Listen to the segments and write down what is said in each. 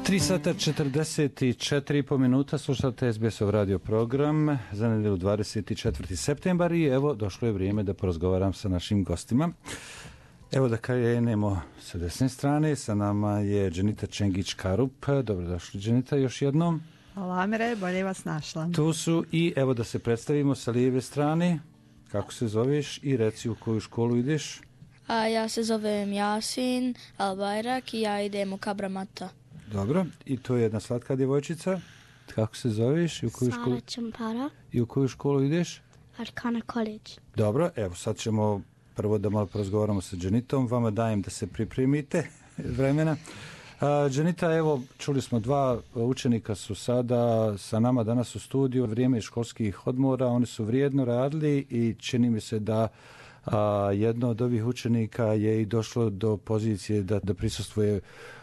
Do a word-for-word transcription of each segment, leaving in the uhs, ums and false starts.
tri sata četrdeset četiri i po minuta, slušate es be esov radio program za nedjelju dvadeset četvrti septembar i evo došlo je vrijeme da porazgovaram sa našim gostima. Evo da krenemo sa desne strane, sa nama je Dženita Čengić-Karup. Dobrodošli Dženita još jednom. Hvala Amire, bolje vas našla. Tu su i evo da se predstavimo sa lijeve strane. Kako se zoveš i reci u koju školu ideš? A ja se zovem Jasin Al-Bajrak i ja idem u Kabramata. Dobro, i to je jedna slatka djevojčica. Kako se zoveš? I u koju školu... Sara Čampara. I u koju školu ideš? Arkana College. Dobro, evo sad ćemo prvo da malo porazgovaramo sa Dženitom. Vama dajem da se pripremite vremena. A, Dženita, evo, čuli smo dva učenika su sada sa nama danas u studiju. Vrijeme školskih odmora, oni su vrijedno radili i čini mi se da a, jedno od ovih učenika je i došlo do pozicije da, da prisustvuje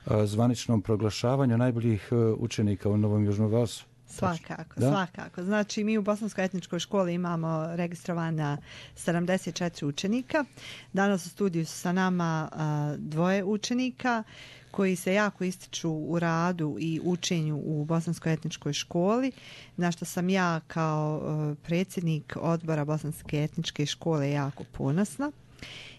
a, zvaničnom proglašavanju najboljih a, učenika u Novom Južnom Velsu. Svakako, da? svakako. Znači, mi u Bosanskoj etničkoj školi imamo registrovana sedamdeset četiri učenika. Danas u studiju su sa nama a, dvoje učenika koji se jako ističu u radu i učenju u Bosanskoj etničkoj školi, na što sam ja kao a, predsjednik odbora Bosanske etničke škole jako ponosna.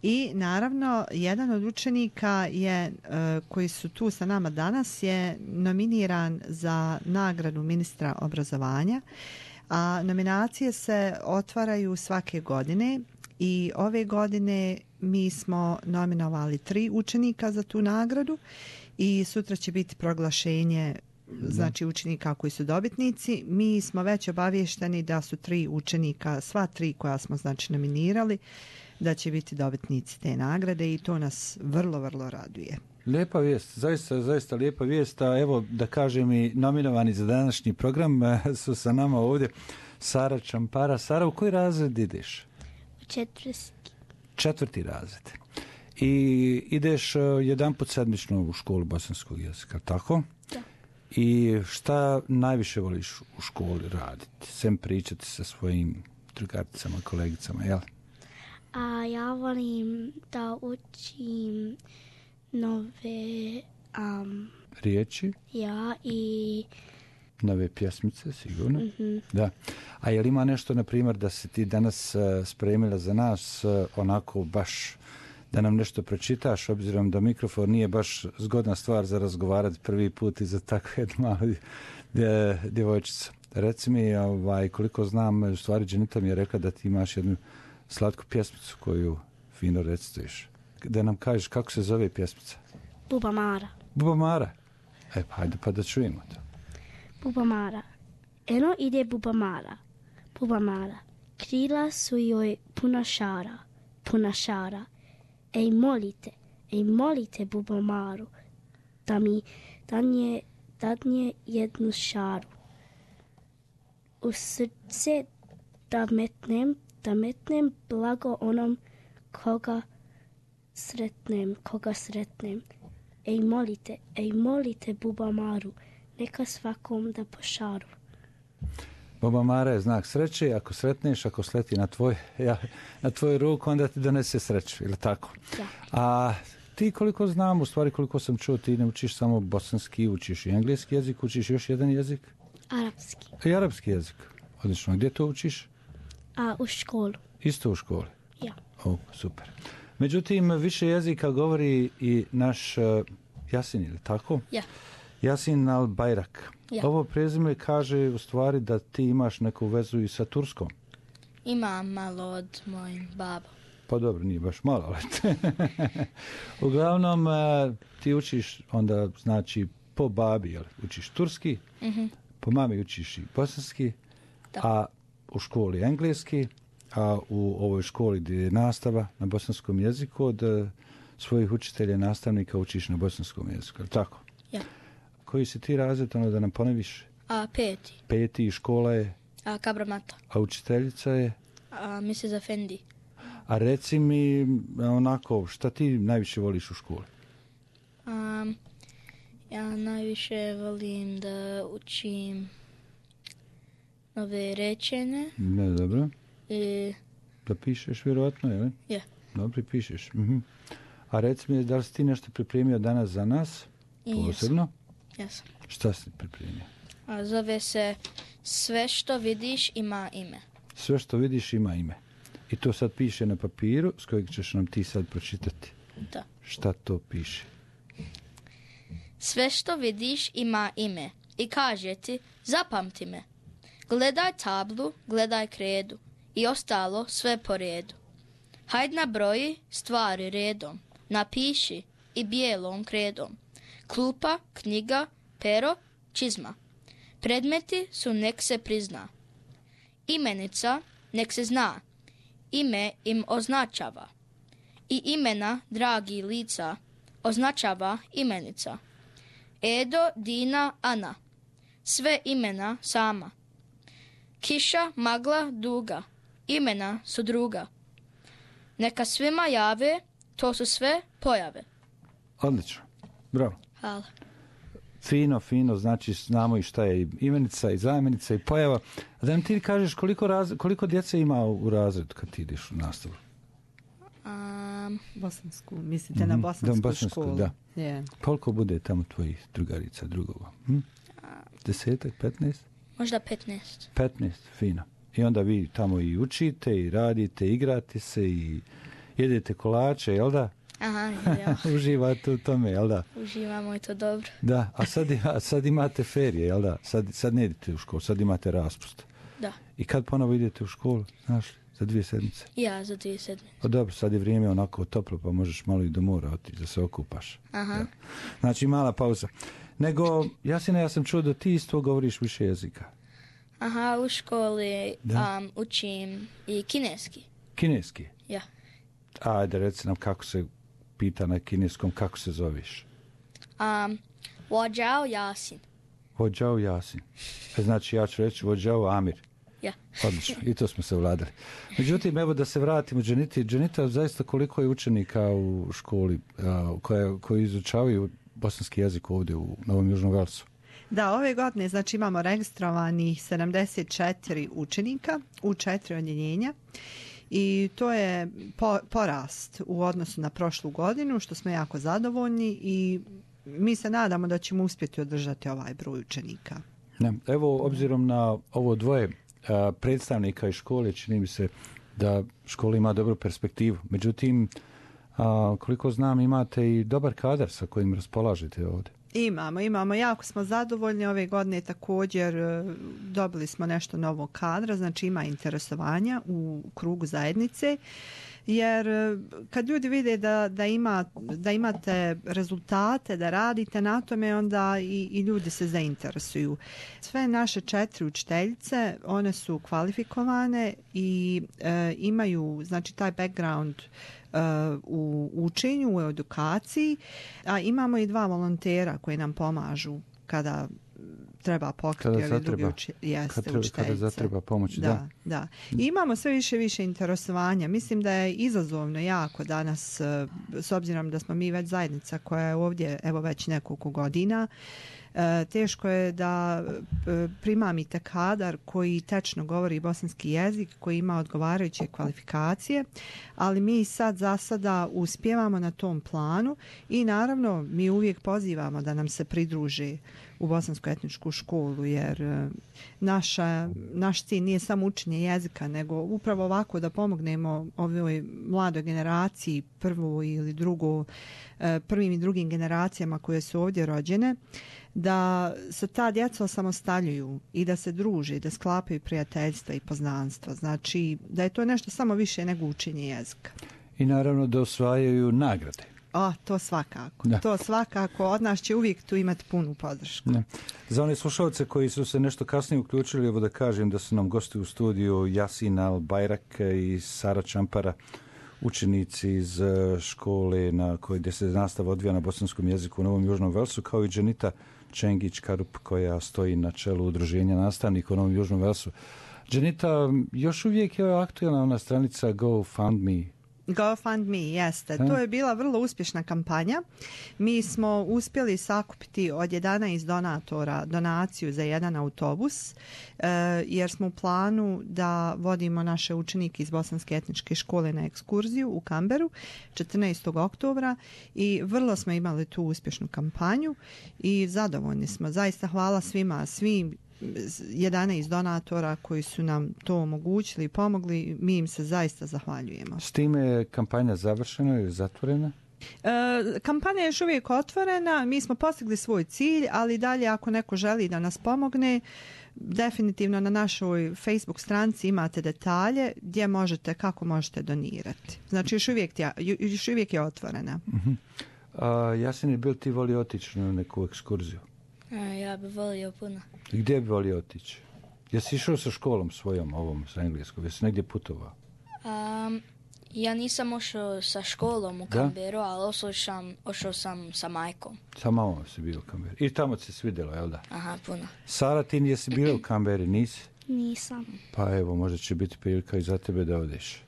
I naravno jedan od učenika je, koji su tu sa nama danas, je nominiran za nagradu ministra obrazovanja, a nominacije se otvaraju svake godine i ove godine mi smo nominovali tri učenika za tu nagradu i sutra će biti proglašenje znači učenika koji su dobitnici. Mi smo već obavješteni da su tri učenika, sva tri koja smo znači nominirali, da će biti dobitnici te nagrade i to nas vrlo, vrlo raduje. Lijepa vijest, zaista, zaista lijepa vijest, a evo da kažem i nominovani za današnji program su sa nama ovdje Sara Čampara. Sara, u koji razred ideš? U četvrti. Četvrti razred. I ideš jedan put sedmično u školu bosanskog jezika, tako? Da. I šta najviše voliš u školi raditi? Sem pričati sa svojim drugaricama, kolegicama, jel? A ja volim da učim nove um, riječi. Ja i nove pjesmice, sigurno. Mm-hmm. Da. A je li ima nešto, na primjer, da se ti danas uh, spremila za nas uh, onako baš da nam nešto pročitaš, obzirom da mikrofon nije baš zgodna stvar za razgovarati prvi put i za takvu jednu malu djevojčicu. Reci mi, ovaj, koliko znam, u stvari Dženita mi je rekla da ti imaš jednu slatku pjesmicu koju fino recituješ. Da nam kažeš kako se zove pjesmica? Bubamara. Bubamara? E, pa hajde pa da čujemo to. Bubamara. Eno ide Bubamara. Bubamara. Krila su joj puna šara. Puna šara. Ej molite, ej molite Bubamaru da mi dadne, dadne jednu šaru. U srce da metnem da metnem blago onom koga sretnem, koga sretnem. Ej molite, ej molite Bubamaru, neka svakom da pošaru. Bubamara je znak sreće, ako sretneš, ako sleti na tvoj, ja, na tvoju ruku, onda ti donese sreću, ili tako? Da. A ti koliko znam, u stvari koliko sam čuo, ti ne učiš samo bosanski, učiš i engleski jezik, učiš još jedan jezik? Arapski. I arapski jezik. Odlično. Gdje to učiš? A u školu. Isto u školi? Ja. O, super. Međutim, više jezika govori i naš uh, Jasin, ili tako? Ja. Jasin Al-Bajrak. Ja. Ovo prezime kaže u stvari da ti imaš neku vezu i sa Turskom. Imam malo od mojim babom. Pa dobro, nije baš malo, ali uglavnom uh, ti učiš onda, znači, po babi, jel? Učiš turski, Mm-hmm. po mami učiš i bosanski, Da. a u školi engleski, a u ovoj školi gdje je nastava na bosanskom jeziku od uh, svojih učitelja i nastavnika učiš na bosanskom jeziku, je li tako? Ja. Koji si ti razred, ono da nam ponoviš? A peti. Peti i škola je, A Kabramata. a učiteljica je, A misli za Fendi. a reci mi onako, šta ti najviše voliš u školi? Um, ja najviše volim da učim nove rečene. Ne, dobro. I Da pišeš vjerojatno, je li? je. Dobro, pišeš. Mhm. A reci mi, da li si ti nešto pripremio danas za nas? I Posebno? Jesam. Šta si pripremio? A zove se Sve što vidiš ima ime. Sve što vidiš ima ime. I to sad piše na papiru s kojeg ćeš nam ti sad pročitati. Da. Šta to piše? Sve što vidiš ima ime i kaže ti zapamti me. Gledaj tablu, gledaj kredu i ostalo sve po redu. Hajd nabroji stvari redom, napiši i bijelom kredom. Klupa, knjiga, pero, čizma. Predmeti su nek se prizna. Imenica nek se zna. Ime im označava. I imena dragi lica označava imenica. Edo, Dina, Ana. Sve imena sama. Kiša, magla, duga. Imena su druga. Neka svima jave, to su sve pojave. Odlično. Bravo. Hvala. Fino, fino, znači znamo i šta je imenica i zamjenica i pojava. A da nam ti kažeš koliko, raz, koliko djece ima u razredu kad ti ideš u nastavu? Um, Bosansku, mislite na Mhm, bosansku, da, bosansku, školu? da. Je. Koliko bude tamo tvojih drugarica, drugova? Hm? Desetak, petnaest? možda petnaest. Petnaest, fino. I onda vi tamo i učite, i radite, igrate se, i jedete kolače, jel da? Aha, ja. Uživate u tome, jel da? Uživamo i to dobro. Da, a sad, a sad imate ferije, jel da? Sad, sad ne idete u školu, sad imate raspust. Da. I kad ponovo idete u školu, znaš li, za dvije sedmice? Ja za dvije sedmice. O dobro, sad je vrijeme onako toplo, pa možeš malo i do mora otići da se okupaš. Aha. Da. Znači, mala pauza. Nego, Jasina, ja sam čuo da ti isto govoriš više jezika. Aha, u školi Da. um, učim i kineski. Kineski. Ja. Ajde, reci nam kako se pita na kineskom, kako se zoveš. Um, Wajao Yasin. Vođao Jasin. E, znači, ja ću reći Vođao Amir. Ja. Odlično, i to smo se vladali. Međutim, evo da se vratimo Dženiti. Dženita, zaista koliko je učenika u školi a, koje, koji izučavaju bosanski jezik ovdje u Novom Južnom Velsu? Da, ove godine znači imamo registrovanih sedamdeset četiri učenika u četiri odjeljenja i to je po, porast u odnosu na prošlu godinu, što smo jako zadovoljni i mi se nadamo da ćemo uspjeti održati ovaj broj učenika. Ne, evo, obzirom na ovo dvoje a, predstavnika iz škole, čini mi se da škola ima dobru perspektivu. Međutim, a, koliko znam, imate i dobar kadar sa kojim raspolažete ovdje. Imamo, imamo, jako smo zadovoljni. Ove godine također e, dobili smo nešto novog kadra, znači ima interesovanja u krugu zajednice, jer e, kad ljudi vide da, da, ima, da imate rezultate, da radite na tome, onda i, i ljudi se zainteresuju. Sve naše četiri učiteljice, one su kvalifikovane i e, imaju znači taj background u učenju, u edukaciji, a imamo i dva volontera koji nam pomažu kada treba pokriti ove druge uči, jeste, kad treba, učiteljice. Kada zatreba pomoć, da. Da, da. I imamo sve više više interesovanja. Mislim da je izazovno jako danas, s obzirom da smo mi već zajednica koja je ovdje evo već nekoliko godina, E, teško je da e, primamite kadar koji tečno govori bosanski jezik, koji ima odgovarajuće kvalifikacije, ali mi sad za sada uspijevamo na tom planu i naravno mi uvijek pozivamo da nam se pridruže u bosansku etničku školu, jer e, naša, naš cilj nije samo učenje jezika, nego upravo ovako da pomognemo ovoj mladoj generaciji, prvu ili drugu, e, prvim i drugim generacijama koje su ovdje rođene, da se ta djeca osamostaljuju i da se druže, da sklapaju prijateljstva i poznanstva. Znači da je to nešto samo više nego učenje jezika. I naravno da osvajaju nagrade. O, to svakako. Da. To svakako. Od nas će uvijek tu imati punu podršku. Ne. Za one slušalce koji su se nešto kasnije uključili, evo da kažem da su nam gosti u studiju Yasin Al-Bayrak i Sara Čampara, učenici iz škole na kojoj gdje se nastava odvija na bosanskom jeziku u Novom Južnom Velsu, kao i Dženita Čengić-Karup koja stoji na čelu udruženja nastavnika u Novom Južnom Velsu. Dženita, još uvijek je aktualna ona stranica GoFundMe. GoFundMe, jeste. Da. To je bila vrlo uspješna kampanja. Mi smo uspjeli sakupiti od jedanaest donatora donaciju za jedan autobus, e, jer smo u planu da vodimo naše učenike iz Bosanske etničke škole na ekskurziju u Canberru četrnaestog oktobra i vrlo smo imali tu uspješnu kampanju i zadovoljni smo. Zaista hvala svima, svim jedanaest donatora koji su nam to omogućili i pomogli, mi im se zaista zahvaljujemo. S time je kampanja završena ili zatvorena? E, kampanja je još uvijek otvorena, mi smo postigli svoj cilj, ali dalje ako neko želi da nas pomogne, definitivno na našoj Facebook stranici imate detalje gdje možete, kako možete donirati. Znači još uvijek je, još uvijek je otvorena. Uh-huh. A, Jasin, je bil ti volio otići na neku ekskurziju? A, ja bi volio puno. I gdje bi volio otići? Jesi išao sa školom svojom, ovom, sa engleskom? Jesi negdje putovao? Um, ja nisam ošao sa školom u Canberru, ali ošao sam, ošao sam sa majkom. Sa mamom si bio u Canberri. I tamo se svidjelo, jel da? Aha, puno. Sara, ti jesi bila u Canberri, nisi? Nisam. Pa evo, možda će biti prilika i za tebe da odeš.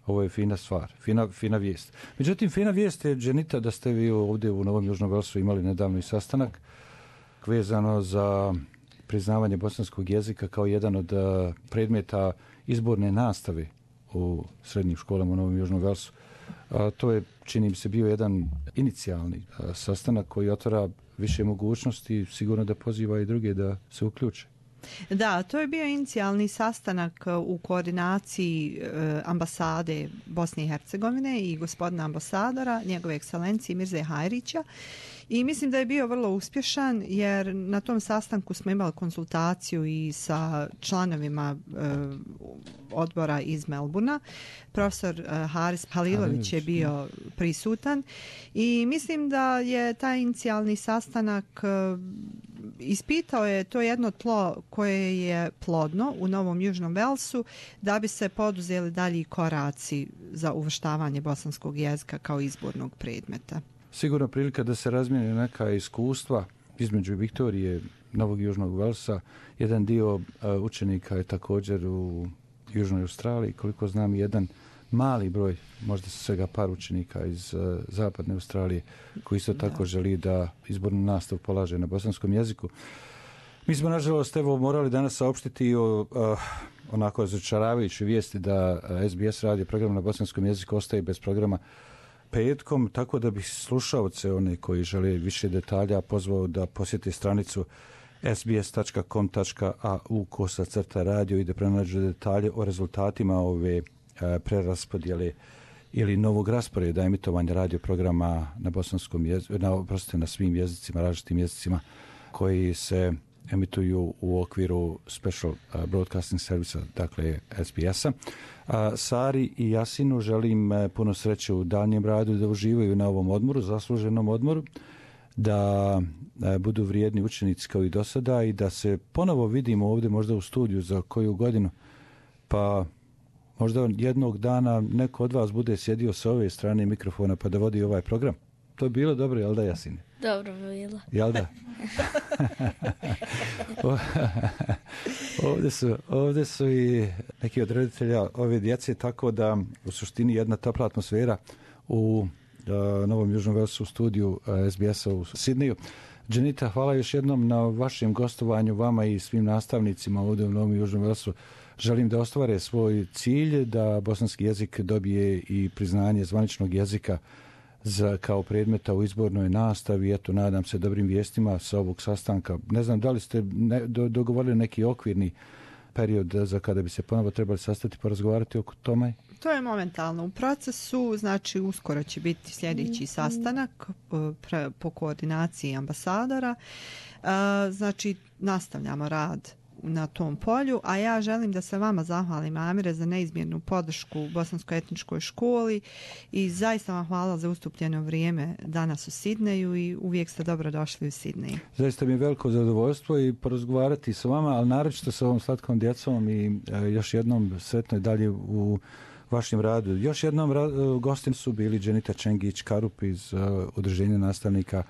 Ovo je fina stvar, fina, fina vijest. Međutim, fina vijest je, Dženita, da ste vi ovdje u Novom Južnom Velsu imali nedavno i sastanak vezano za priznavanje bosanskog jezika kao jedan od uh, predmeta izborne nastave u srednjim školama u Novom Južnom Velsu. Uh, to je, čini mi se, bio jedan inicijalni uh, sastanak koji otvara više mogućnosti, sigurno da poziva i druge da se uključe. Da, to je bio inicijalni sastanak u koordinaciji e, ambasade Bosne i Hercegovine i gospodina ambasadora, njegove ekscelencije Mirze Hajrića. I mislim da je bio vrlo uspješan jer na tom sastanku smo imali konsultaciju i sa članovima e, odbora iz Melburna. Profesor e, Haris Halilović je bio prisutan i mislim da je taj inicijalni sastanak e, ispitao je to jedno tlo koje je plodno u Novom Južnom Velsu da bi se poduzeli dalji koraci za uvrštavanje bosanskog jezika kao izbornog predmeta. Sigurno prilika da se razmijene neka iskustva između Viktorije, Novog Južnog Velsa. Jedan dio uh, učenika je također u Južnoj Australiji, koliko znam jedan mali broj, možda svega par učenika iz uh, Zapadne Australije koji isto tako da. želi da izbornu nastavu polaže na bosanskom jeziku. Mi smo, nažalost, evo, morali danas saopštiti o uh, onako razočaravajućoj vijesti da uh, S B S radio program na bosanskom jeziku ostaje bez programa petkom, tako da bih slušaoce, one koji žele više detalja, pozvao da posjeti stranicu s b s tačka com tačka a u kosa crta radio i da pronađu detalje o rezultatima ove e, preraspodjele ili novog rasporeda emitovanja radio programa na bosanskom jeziku, na, proste, na svim jezicima, različitim jezicima koji se emituju u okviru Special Broadcasting Service, dakle S B S-a. A Sari i Jasinu želim puno sreće u daljnjem radu, da uživaju na ovom odmoru, zasluženom odmoru, da budu vrijedni učenici kao i do sada i da se ponovo vidimo ovdje možda u studiju za koju godinu, pa možda jednog dana neko od vas bude sjedio sa ove strane mikrofona pa da vodi ovaj program. To je bilo dobro, jel da, Jasine? Dobro bilo. Jel da? ovdje, su, ovdje su i neki od roditelja ove djece, tako da u suštini jedna topla atmosfera u uh, Novom Južnom Velsu studiju uh, S B S-a u Sidneju. Dženita, hvala još jednom na vašem gostovanju, vama i svim nastavnicima ovdje u Novom Južnom Velsu. Želim da ostvare svoj cilj, da bosanski jezik dobije i priznanje zvaničnog jezika za, kao predmeta u izbornoj nastavi. Eto, nadam se dobrim vijestima sa ovog sastanka. Ne znam da li ste ne, do, dogovorili neki okvirni period za kada bi se ponovo trebali sastati pa razgovarati oko tome? To je momentalno u procesu, znači uskoro će biti sljedeći sastanak pre, po koordinaciji ambasadora. E, znači nastavljamo rad na tom polju, a ja želim da se vama zahvalim, Amire, za neizmjernu podršku u Bosanskoj etničkoj školi i zaista vam hvala za ustupljeno vrijeme danas u Sidneju i uvijek ste dobro došli u Sidneju. Zaista mi je veliko zadovoljstvo i porazgovarati s vama, ali naročito sa ovom slatkom djecom i e, još jednom sretno i dalje u vašem radu. Još jednom ra- gostim su bili Dženita Čengić Karup iz uh, Udruženja nastavnika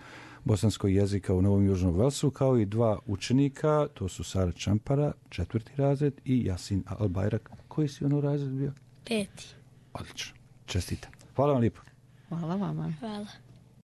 bosanskog jezika u Novom Južnom Velsu, kao i dva učenika, to su Sara Čampara, četvrti razred, i Jasin Albajrak. Koji si ono razred bio? Peti. Odlično. Čestitam. Hvala vam lijepo. Hvala vama. Hvala.